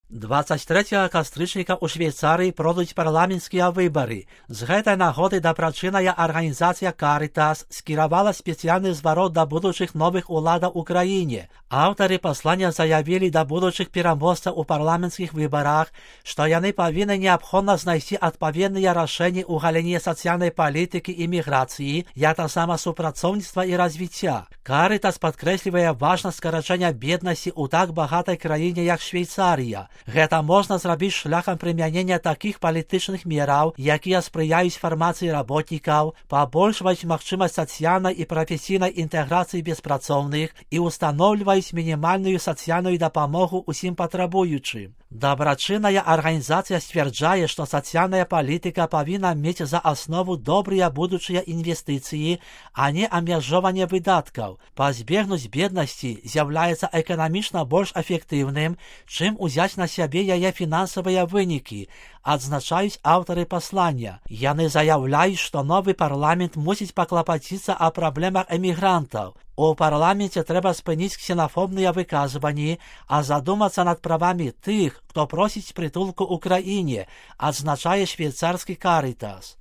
23 кастрычніка ў Швейцарыі пройдуць парламенцкія выбары. З гэтай нагоды дабрачынная арганізацыя Caritas скіравала спецыяльны зварот да будучых новых уладаў у краіне. Аўтары паслання заявілі да будучых пераможцаў у парламенцкіх выбарах, што яны павінны неабходна знайсці адпаведныя рашэнні ў галіне сацыяльнай палітыкі і міграцыі, як таксама супрацоўніцтва і развіцця. Caritas падкрэслівае важнасць скарачэння беднасці ў так багатай краіне, як Швейцарыя. Гэта можна зрабіць шляхам прымянення такіх палітычных мераў, якія спрыяюць фармацыі работнікаў, пабольшваюць магчымасць сацыяльнай і прафесійнай інтэграцыі беспрацоўных і ўстаноўліваюць мінімальную сацыяльную дапамогу ўсім патрабуючым. Дабрачынная арганізацыя сцвярджае, што сацыяльная палітыка павінна мець за аснову добрыя будучыя інвестыцыі, а не абмяжоўванне выдаткаў. Пазбегнуць беднасці з'яўляецца эканамічна больш эфектыўным, чым узяць на сябе яе фінансавыя вынікі, адзначаюць аўтары паслання. Яны заяўляюць, што новы парламент мусіць паклапаціцца о праблемах эмігрантаў. У парламенце трэба спыніць ксенафобныя выказванні, а задумацца над правамі тых, хто просіць прытулку ў краіне, адзначае швейцарскі Caritas.